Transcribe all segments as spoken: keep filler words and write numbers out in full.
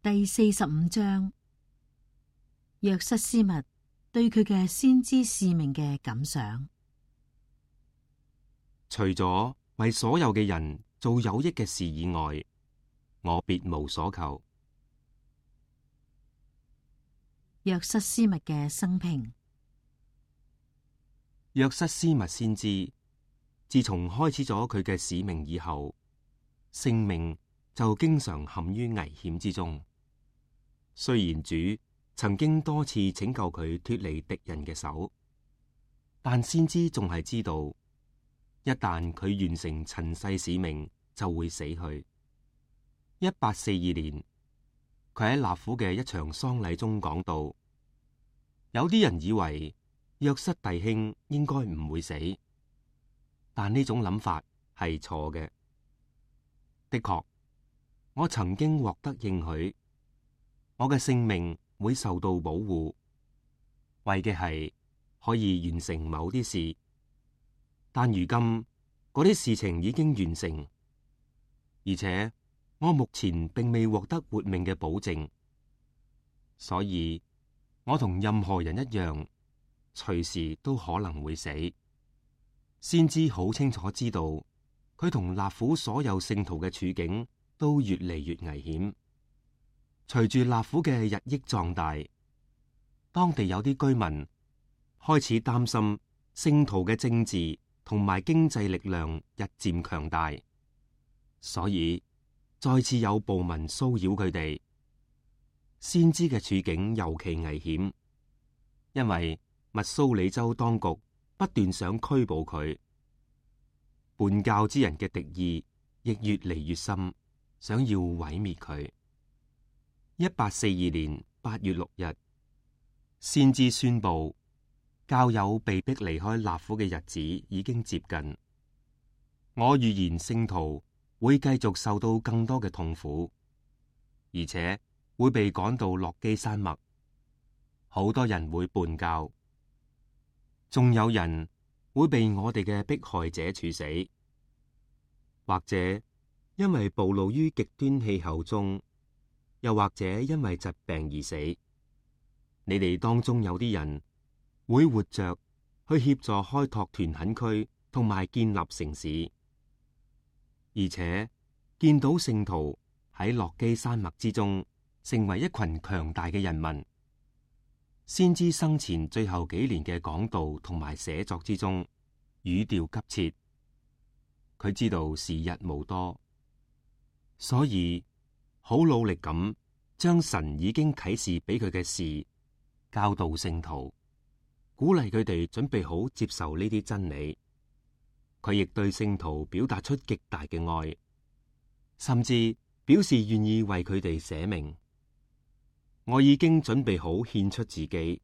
第四十五章，約瑟斯密對佢嘅先知使命嘅感想。除咗為所有嘅人做有益嘅事以外，我別無所求。約瑟斯密嘅生平。約瑟斯密先知自從開始咗佢嘅使命以後，性命就經常陷於危險之中。雖然主曾經多次拯救佢脫離敵人嘅手，但先知仲係知道，一旦佢完成塵世使命，就會死去。一八四二年，佢喺納府嘅一場喪禮中講到，有啲人以為約瑟弟兄應該唔會死，但呢種諗法係錯嘅。的確，我曾經獲得應許，我嘅性命會受到保護，為嘅係可以完成某啲事。但如今嗰啲事情已經完成，而且我目前並未獲得活命嘅保證，所以我同任何人一樣，隨時都可能會死。先知好清楚知道，佢同納府所有聖徒嘅處境都越嚟越危險。隨住納府嘅日益壯大，當地有啲居民開始擔心聖徒嘅政治同埋經濟力量日漸強大，所以再次有暴民騷擾佢哋。先知嘅處境尤其危險，因為密蘇里州當局不斷想拘捕佢，叛教之人嘅敵意亦越嚟越深，想要毀滅佢。一八四二年八月六日，先知宣布教友被迫離開納府嘅日子已經接近。我預言聖徒會繼續受到更多嘅痛苦，而且會被趕到洛基山脈，好多人會叛教，仲有人會被我哋嘅迫害者處死，或者因為暴露於極端氣候中，又或者因為疾病而死。你哋當中有啲人會活着去協助開拓屯墾區同埋建立城市，而且見到聖徒喺洛基山脈之中成為一群強大嘅人民。先知生前最後幾年嘅講道同埋寫作之中，語調急切，佢知道時日無多，所以好努力咁將神已經啟示俾佢嘅事教導聖徒，鼓勵佢哋準備好接受呢啲真理。佢亦對聖徒表達出極大嘅愛，甚至表示願意為佢哋捨命。我已經準備好獻出自己，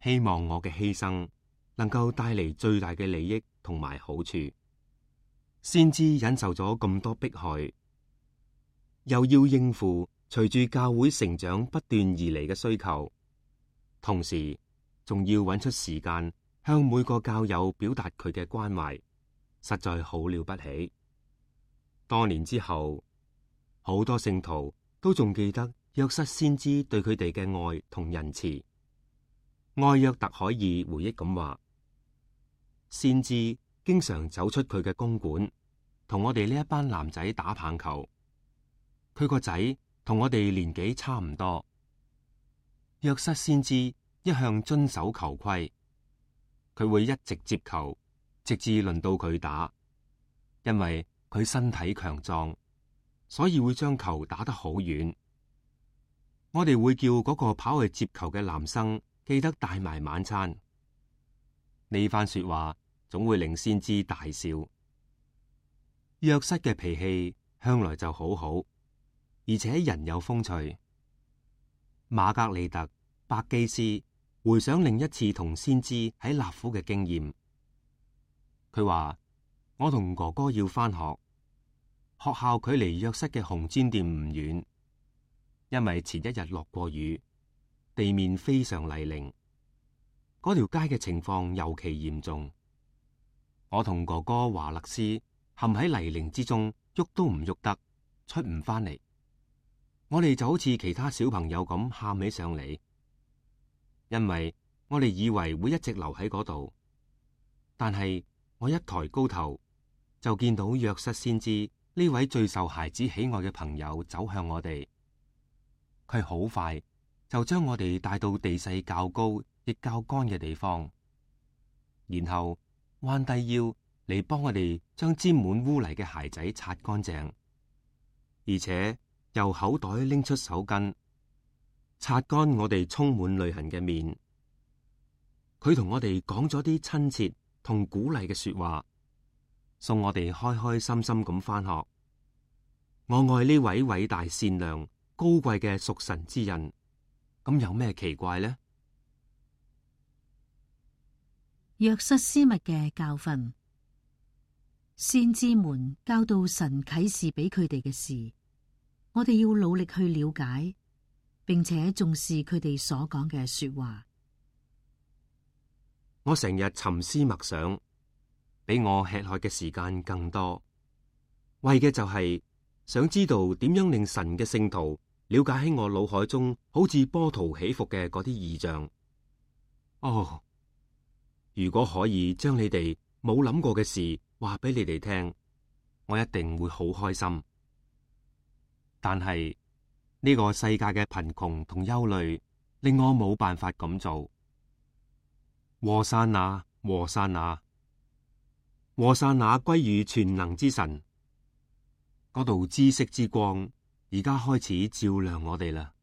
希望我嘅犧牲能夠帶嚟最大嘅利益同埋好處。先知忍受咗咁多迫害，又要應付隨住教會成長不斷而嚟嘅需求，同時仲要揾出時間向每個教友表達佢嘅關懷，實在好了不起。多年之後，好多聖徒都仲記得約瑟先知對佢哋嘅愛同仁慈。愛約特海爾回憶咁話，先知經常走出佢嘅公館，同我哋呢一班男仔打棒球。佢個仔同我哋年紀差唔多。約瑟先知一向遵守球規，佢會一直接球，直至輪到佢打。因為佢身體強壯，所以會將球打得好遠。我哋會叫嗰個跑去接球嘅男生記得帶埋晚餐。呢番說話總會令先知大笑。約瑟嘅脾氣向來就好好，而且人有風趣。瑪格利特·伯基斯回想另一次同先知喺納府嘅經驗，佢話：我同哥哥要返學，學校距離約瑟嘅紅磚店唔遠，因為前一日落過雨，地面非常泥濘，嗰條街嘅情況尤其嚴重。我同哥哥華勒斯陷喺泥濘之中，喐都唔喐得，出唔返嚟。我哋就好似其他小朋友咁喊起上嚟，因為我哋以為會一直留喺嗰度。但係我一抬高頭，就見到約瑟先知呢位最受孩子喜愛嘅朋友走向我哋。佢好快就將我哋帶到地勢較高亦較乾嘅地方，然後彎低腰嚟幫我哋將沾滿污泥嘅鞋仔擦乾淨，而且由口袋拎出手巾擦乾我哋充滿淚痕嘅面。佢同我哋講咗啲親切同鼓勵嘅說話，送我哋開開心心咁返學。我愛呢位偉大善良高貴嘅屬神之人，咁有咩奇怪呢？約瑟斯密嘅教訓，先知們教導神啟示俾佢哋嘅事，我哋要努力去了解，並且重視佢哋所講嘅說話。我成日沉思默想，比我吃喝嘅時間更多，為嘅就係想知道點樣令神嘅聖徒了解喺我腦海中好似波濤起伏嘅嗰啲異象。哦，如果可以將你哋冇諗過嘅事話俾你哋聽，我一定會好開心。但係呢個世界嘅貧窮同憂慮令我冇辦法咁做。和散那，和散那，和散那歸於全能之神。嗰道知識之光而家開始照亮我哋啦。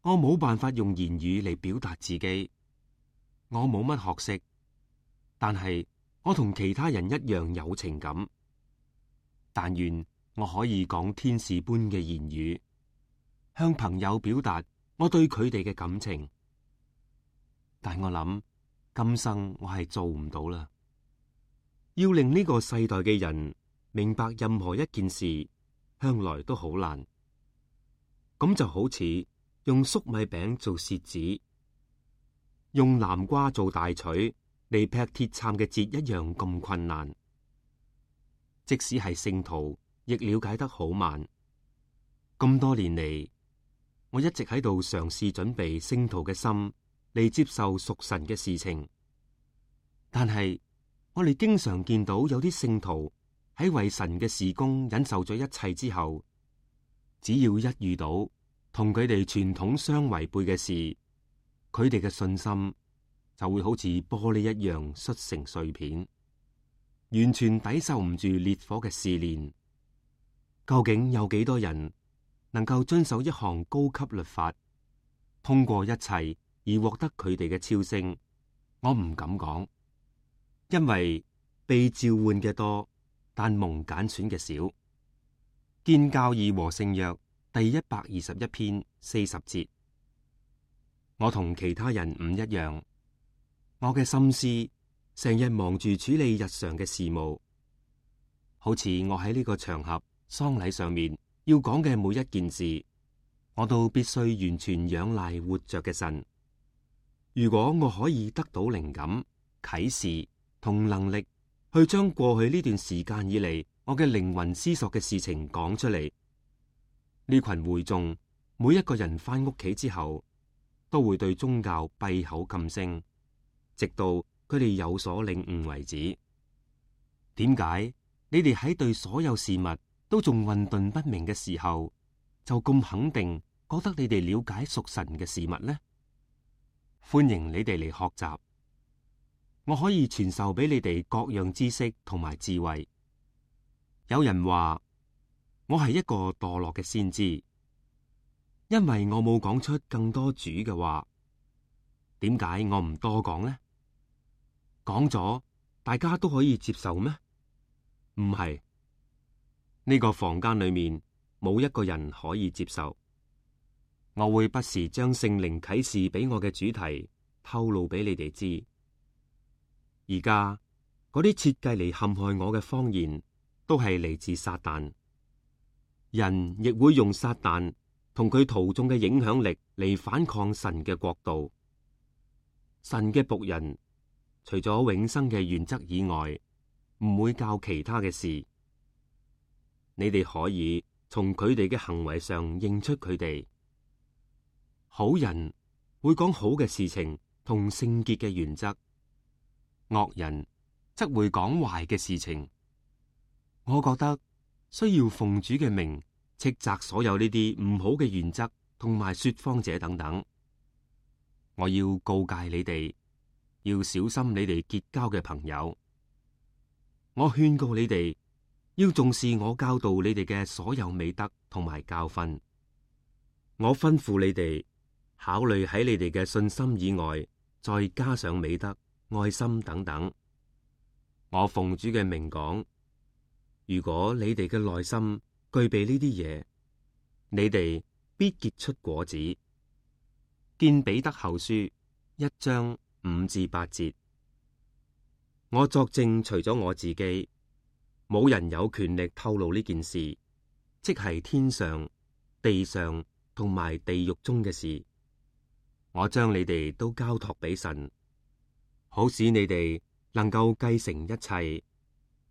我冇辦法用言語嚟表達自己，我冇乜學識，但係我同其他人一樣有情感。但願我可以講天使般嘅言語，向朋友表達我對佢哋嘅感情。但我諗，今生我係做唔到啦。要令呢個世代嘅人明白任何一件事，向來都好難。咁就好似用粟米餅做楔子，用南瓜做大錘嚟劈鐵杉嘅節一樣咁困難。即使係聖徒，亦了解得好慢。咁多年嚟，我一直喺度嘗試準備聖徒嘅心嚟接受屬神嘅事情，但係我哋經常見到有啲聖徒喺為神嘅事工忍受咗一切之後，只要一遇到同佢哋傳統相違背嘅事，佢哋嘅信心就會好似玻璃一樣摔成碎片，完全抵受唔住烈火嘅試煉。究竟有幾多人能夠遵守一項高級律法，通過一切而獲得佢哋嘅超升？我唔敢講，因為被召喚嘅多，但蒙揀選嘅少。建教義和聖約第一百二十一篇四十節。我同其他人唔一樣，我嘅心思成日忙住處理日常嘅事務，好似我喺呢個場合喪禮上面要講嘅每一件事，我都必須完全仰賴活着嘅神。如果我可以得到靈感、啟示同能力，去將過去呢段時間以嚟我嘅靈魂思索嘅事情講出嚟，呢群會眾每一個人翻屋企之後，都會對宗教閉口噤聲，直到佢哋有所領悟為止。點解你哋喺對所有事物都仲混沌不明嘅時候，就咁肯定覺得你哋了解屬神嘅事物呢？歡迎你哋嚟學習，我可以傳授俾你哋各樣知識同埋智慧。有人話我係一個墮落嘅先知，因為我冇講出更多主嘅話。點解我唔多講呢？講咗大家都可以接受咩？唔係，呢個房間裏面冇一個人可以接受。我會不時將聖靈啟示俾我嘅主題透露俾你哋知。而家嗰啲設計嚟陷害我嘅謊言，都係嚟自撒旦。人亦會用撒旦同佢徒眾嘅影響力嚟反抗神嘅國度。神嘅僕人除咗永生嘅原則以外，唔會教其他嘅事。你哋可以從佢哋嘅行為上認出佢哋。好人會講好嘅事情同聖潔嘅原則，惡人則會講壞嘅事情。我覺得需要奉主嘅名斥責所有呢啲唔好嘅原則同埋說謊者等等。我要告誡你哋，要小心你哋結交嘅朋友。我勸告你哋，要重視我教導你哋嘅所有美德同埋教訓。我吩咐你哋考慮喺你哋嘅信心以外，再加上美德、愛心等等。我奉主嘅名講，如果你哋嘅內心具備呢啲嘢，你哋必結出果子。見彼得後書一章五至八節。我作證，除咗我自己，冇人有權力透露呢件事，即係天上、地上同埋地獄中嘅事。我將你哋都交託俾神，好使你哋能夠繼承一切，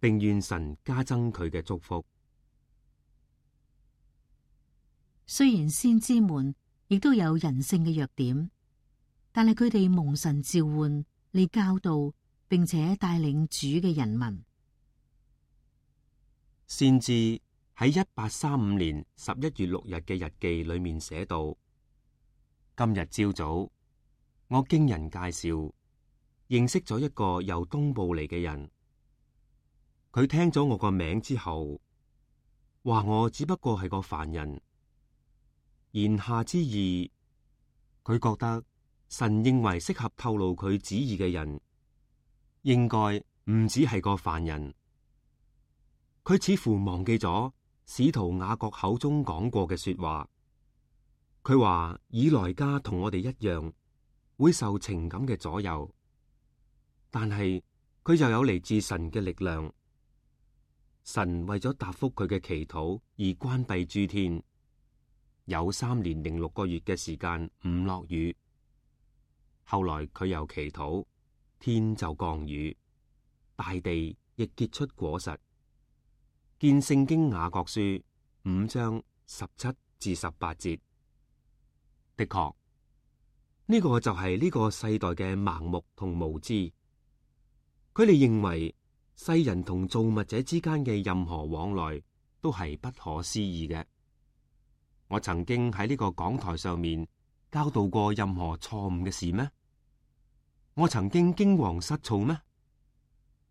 並願神加增佢嘅祝福。雖然先知們亦都有人性嘅弱點，但係佢哋蒙神召喚嚟教導並且帶領主嘅人民。先知喺一八三五年十一月六日嘅日記裏面寫道：今日朝早，我經人介紹認識咗一個由東部嚟嘅人，佢聽咗我個名之後，話我只不過係個凡人。言下之意，佢覺得神認為適合透露佢旨意嘅人，應該唔只係個凡人。佢似乎忘記咗使徒雅各口中講過嘅說話。佢話以萊加同我哋一樣，會受情感嘅左右，但係佢又有嚟自神嘅力量。神為咗答覆佢嘅祈禱而關閉諸天。有三年零六個月嘅時間唔落雨，後來佢又祈禱，天就降雨，大地亦結出果實。見聖經雅各書五章十七至十八節。的確，呢個就係呢個世代嘅盲目同無知。佢哋認為世人同造物者之間嘅任何往來都係不可思議嘅。我曾經喺呢個講台上面教導過任何錯誤嘅事咩？我曾經驚惶失措咩？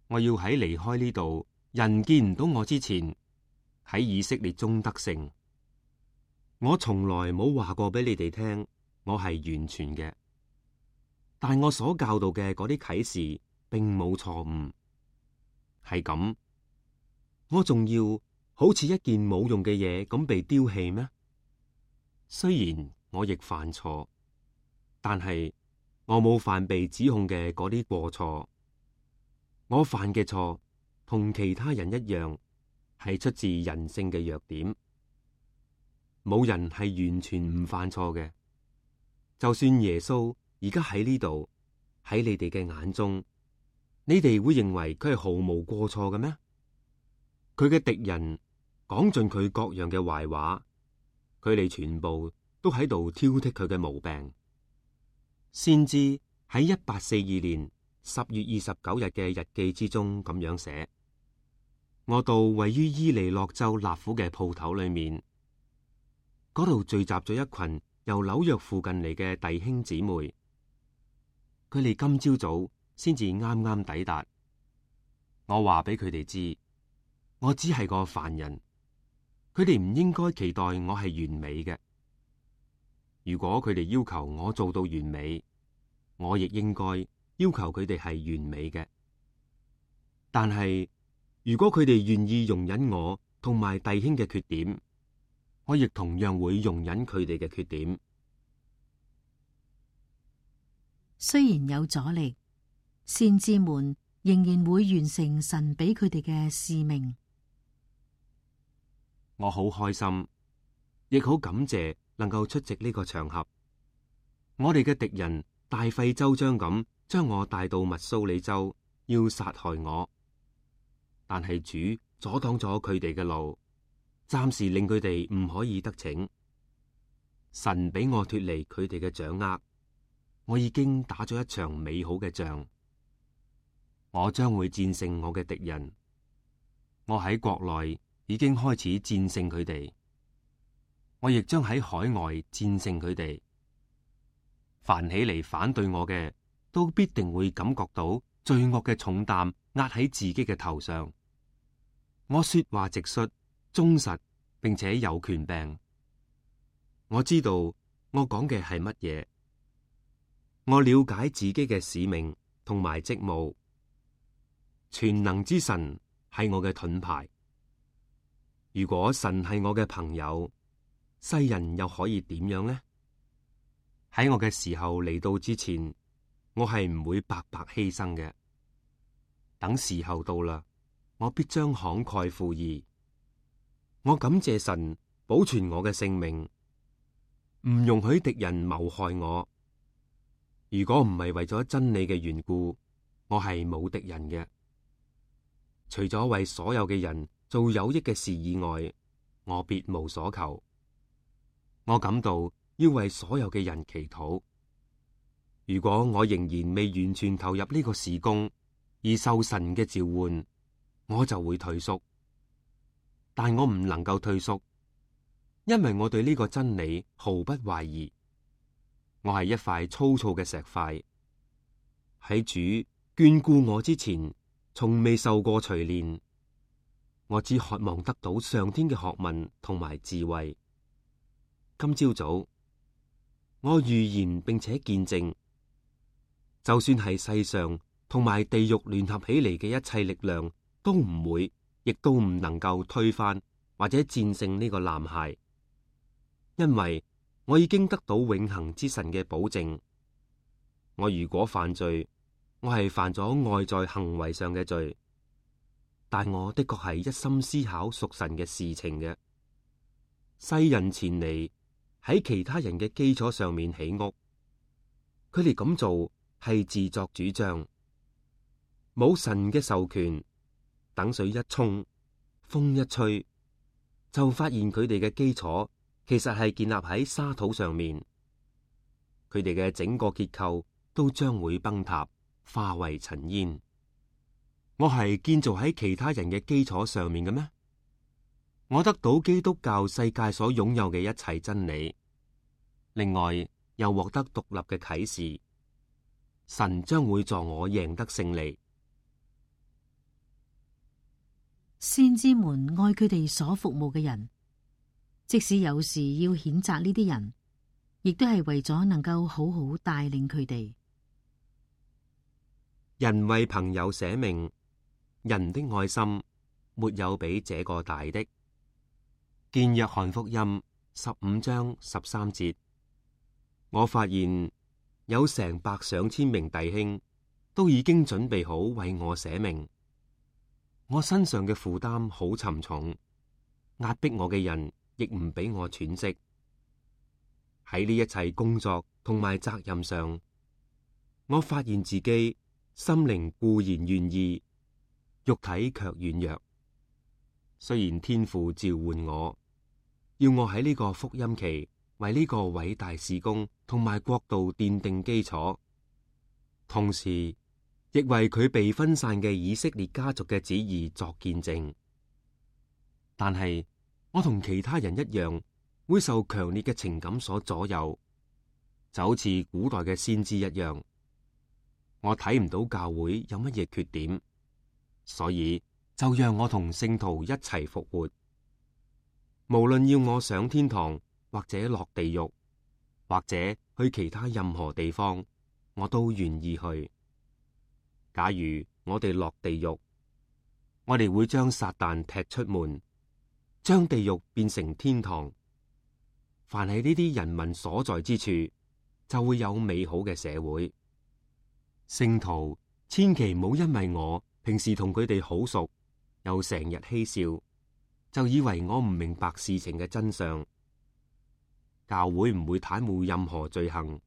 我要喺離開呢度人見唔到我之前，喺以色列中得勝。我從來冇話過俾你哋聽，我係完全嘅。但我所教導嘅嗰啲啟示並冇錯誤，係咁，我仲要好似一件冇用嘅嘢咁被丟棄咩？雖然我亦犯錯，但係我冇犯被指控嘅嗰啲過錯。我犯嘅錯同其他人一樣，係出自人性嘅弱點。冇人係完全唔犯錯嘅。就算耶穌而家喺呢度，喺你哋嘅眼中，你哋會認為佢係毫無過錯嘅咩？佢嘅敵人講盡佢各樣嘅壞話。佢哋全部都喺度挑剔佢嘅毛病。先知喺一八四二年十月二十九日嘅日記之中咁樣寫：我到位於伊利諾州納府嘅鋪頭裏面，嗰度聚集咗一群由紐約附近嚟嘅弟兄姊妹。佢哋今朝早先至啱啱抵達。我話俾佢哋知，我只係個凡人。佢哋唔應該期待我係完美嘅。如果佢哋要求我做到完美，我亦應該要求佢哋係完美嘅。但係如果佢哋願意容忍我同埋弟兄嘅缺點，我亦同樣會容忍佢哋嘅缺點。雖然有阻力，先知們仍然會完成神俾佢哋嘅使命。我好開心，亦好感謝能夠出席呢個場合。我哋嘅敵人大費周章咁將我帶到密蘇里州，要殺害我。但係主阻擋咗佢哋嘅路，暫時令佢哋唔可以得逞。神俾我脫離佢哋嘅掌握，我已經打咗一場美好嘅仗。我將會戰勝我嘅敵人。我喺國內已經開始戰勝佢哋，我亦將喺海外戰勝佢哋。凡起嚟反對我嘅，都必定會感覺到罪惡嘅重擔壓喺自己嘅頭上。我說話直率、忠實，並且有權柄。我知道我講嘅係乜嘢。我了解自己嘅使命同埋職務。全能之神係我嘅盾牌。如果神係我嘅朋友，世人又可以點樣呢？喺我嘅時候嚟到之前，我係唔會白白犧牲嘅。等時候到啦，我必將慷慨赴義。我感謝神保存我嘅性命，唔容許敵人謀害我。如果唔係為咗真理嘅緣故，我係冇敵人嘅。除咗為所有嘅人做有益嘅事以外，我別無所求。我感到要為所有嘅人祈禱。如果我仍然未完全投入呢個事工而受神嘅召喚，我就會退縮。但我唔能夠退縮，因為我對呢個真理毫不懷疑。我係一塊粗糙嘅石塊，喺主眷顧我之前，從未受過錘煉。我只渴望得到上天嘅學問同埋智慧。今朝早，我預言並且見證，就算係世上同埋地獄聯合起嚟嘅一切力量，都唔會，亦都唔能夠推翻或者戰勝呢個男孩，因為我已經得到永恆之神嘅保證。我如果犯罪，我係犯咗外在行為上嘅罪，但我的確係一心思考屬神嘅事情嘅。世人前嚟喺其他人嘅基礎上面起屋，佢哋咁做係自作主張，冇神嘅授權。等水一沖，風一吹，就發現佢哋嘅基礎其實係建立喺沙土上面，佢哋嘅整個結構都將會崩塌，化為塵煙。我係建造喺其他人嘅基礎上面嘅咩？我得到基督教世界所擁有嘅一切真理，另外又獲得獨立嘅啟示，神將會助我贏得勝利。先知們愛佢哋所服務嘅人，即使有時要譴責呢啲人，亦都係為咗能夠好好帶領佢哋。人為朋友捨命，人的愛心沒有比這個大的。見約翰福音十五章十三節，我發現有成百上千名弟兄都已經準備好為我捨命。我身上嘅負擔好沉重，壓迫我嘅人亦唔俾我喘息。喺呢一切工作同埋責任上，我發現自己心靈固然願意，肉體卻軟弱。雖然天父召喚我，要我喺呢個福音期為呢個偉大事工同埋國度奠定基礎，同時亦為佢被分散嘅以色列家族嘅旨意作見證，但係我同其他人一樣，會受強烈嘅情感所左右，就好似古代嘅先知一樣。我睇唔到教會有乜嘢缺點，所以就讓我同聖徒一齊復活。無論要我上天堂，或者落地獄，或者去其他任何地方，我都願意去。假如我哋落地獄，我哋會將撒旦踢出門，將地獄變成天堂。凡係呢啲人民所在之處，就會有美好嘅社會。聖徒千祈唔好因為我平時同佢哋好熟，又成日嬉笑，就以為我唔明白事情嘅真相。教會唔會袒護任何罪行，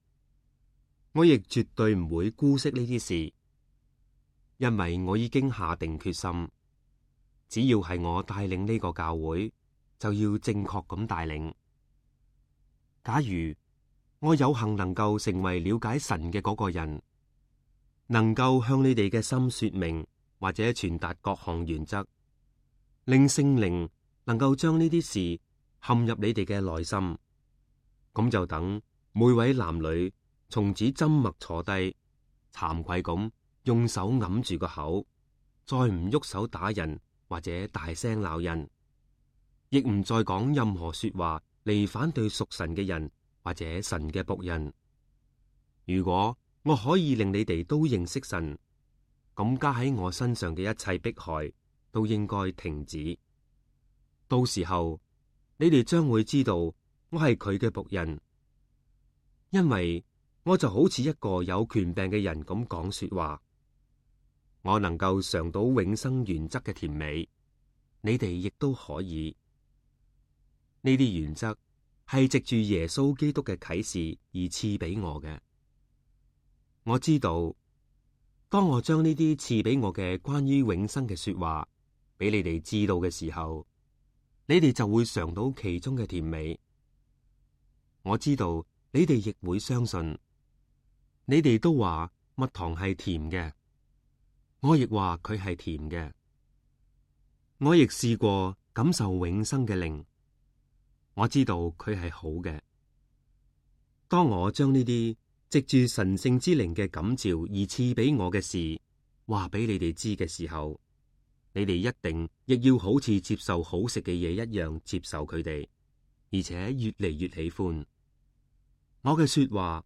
我亦絕對唔會姑息呢啲事。因為我已經下定決心，只要係我帶領呢個教會，就要正確咁帶領。假如我有幸能夠成為了解神嘅嗰個人，能夠向你哋嘅心說明或者傳達各項原則，令聖靈能夠將呢啲事陷入你哋嘅內心，咁就等每位男女從此緘默坐低，慚愧咁用手揞住個口，再唔喐手打人或者大聲鬧人，亦唔再講任何說話嚟反對屬神嘅人或者神嘅僕人。如果我可以令你哋都認識神，咁加喺我身上嘅一切迫害都應該停止。到時候你哋將會知道我係佢嘅僕人，因為我就好似一個有權柄嘅人咁講說話。我能夠嘗到永生原則嘅甜美，你哋亦都可以。呢啲原則係藉住耶穌基督嘅啟示而賜俾我嘅。我知道，當我將呢啲賜俾我嘅關於永生嘅說話俾你哋知道嘅時候，你哋就會嘗到其中嘅甜美。我知道你哋亦會相信。你哋都話蜜糖係甜嘅，我亦話佢係甜嘅。我亦試過感受永生嘅靈，我知道佢係好嘅。當我將呢啲藉住神聖之靈嘅感召而賜俾我嘅事話俾你哋知嘅時候，你哋一定亦要好似接受好食嘅嘢一樣接受佢哋，而且越嚟越喜歡。我嘅說話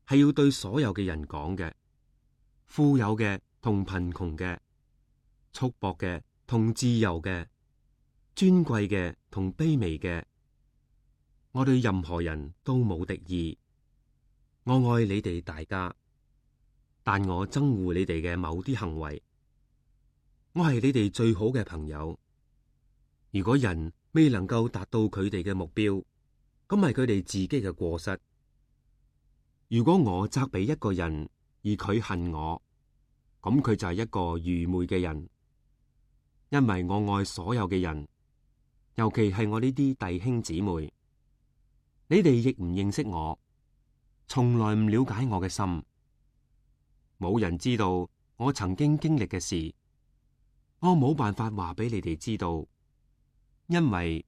係要對所有嘅人講嘅，富有嘅同貧窮嘅，束縛嘅同自由嘅，尊貴嘅同卑微嘅。我對任何人都冇敵意。我愛你哋大家，但我憎惡你哋嘅某啲行為。我係你哋最好嘅朋友。如果人未能夠達到佢哋嘅目標，咁係佢哋自己嘅過失。如果我責備一個人而佢恨我，咁佢就係一個愚昧嘅人。因為我愛所有嘅人，尤其係我呢啲弟兄姊妹。你哋亦唔認識我，從來唔了解我嘅心。冇人知道我曾經經歷嘅事，我冇辦法話俾你哋知道，因為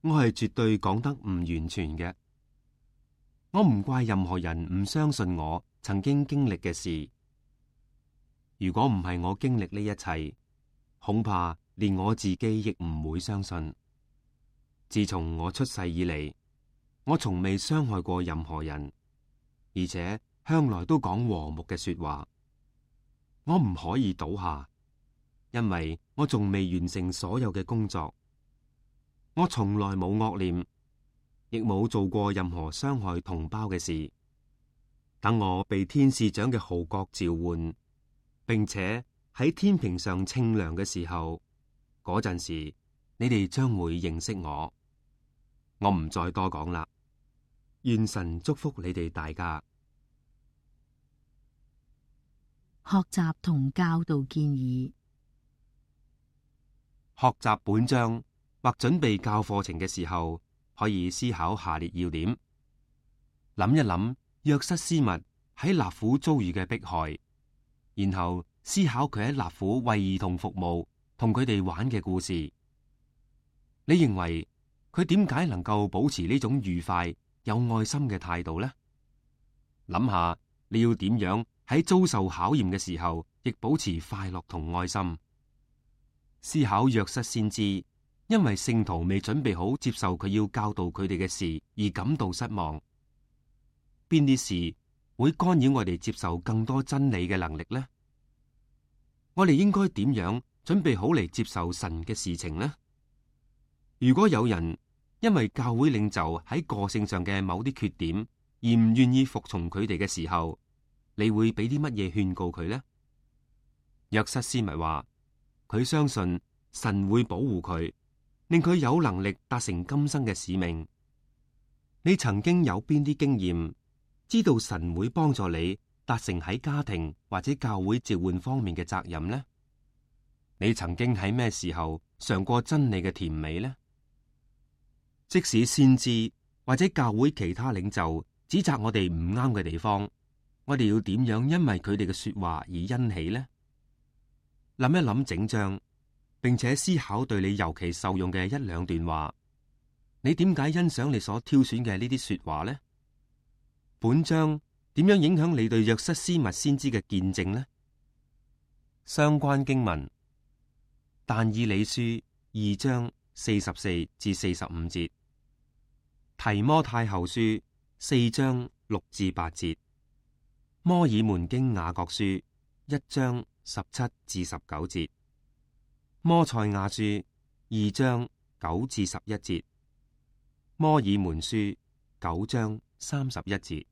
我係絕對講得唔完全嘅。我唔怪任何人唔相信我曾經經歷嘅事。如果唔係我經歷呢一切，恐怕連我自己亦唔會相信。自從我出世以嚟，我從未傷害過任何人，而且向來都講和睦嘅說話。我唔可以倒下，因為我仲未完成所有嘅工作。我從來冇惡念，亦冇做過任何傷害同胞嘅事。等我被天使長嘅號角召喚，並且喺天平上稱量嘅時候，嗰陣時你哋將會認識我。我唔再多講啦。願神祝福你哋大家。學習同教導建議。學習本章或準備教課程嘅時候，可以思考下列要點：諗一諗約瑟斯密喺納府遭遇嘅迫害，然後思考佢喺納府為兒童服務同佢哋玩嘅故事。你認為佢點解能夠保持呢種愉快有愛心嘅態度呢？諗下你要點樣喺遭受考驗嘅時候，亦保持快樂同愛心。思考約瑟先知因為聖徒未準備好接受佢要教導佢哋嘅事而感到失望。邊啲事會干擾我哋接受更多真理嘅能力呢？我哋應該點樣準備好嚟接受神嘅事情呢？如果有人因為教會領袖喺個性上嘅某啲缺點而唔願意服從佢哋嘅時候，你會俾啲乜嘢勸告佢呢？約瑟斯密話佢相信神會保護佢，令佢有能力達成今生嘅使命。你曾經有邊啲經驗，知道神會幫助你達成喺家庭或者教會召喚方面嘅責任呢？你曾經喺咩時候嘗過真理嘅甜美呢？即使先知或者教會其他領袖指責我哋唔啱嘅地方，我哋要點樣因為佢哋嘅說話而欣喜呢？諗一諗整章，並且思考對你尤其受用嘅一兩段話，你點解欣賞你所挑選嘅呢啲說話呢？本章點樣影響你對約瑟斯密先知嘅見證呢？相關經文：但以理書二章四十四至四十五節，提摩太後書四章六至八節，摩爾門經雅各書一章十七至十九節，摩賽亞書二章九至十一節，摩爾門書九章三十一節。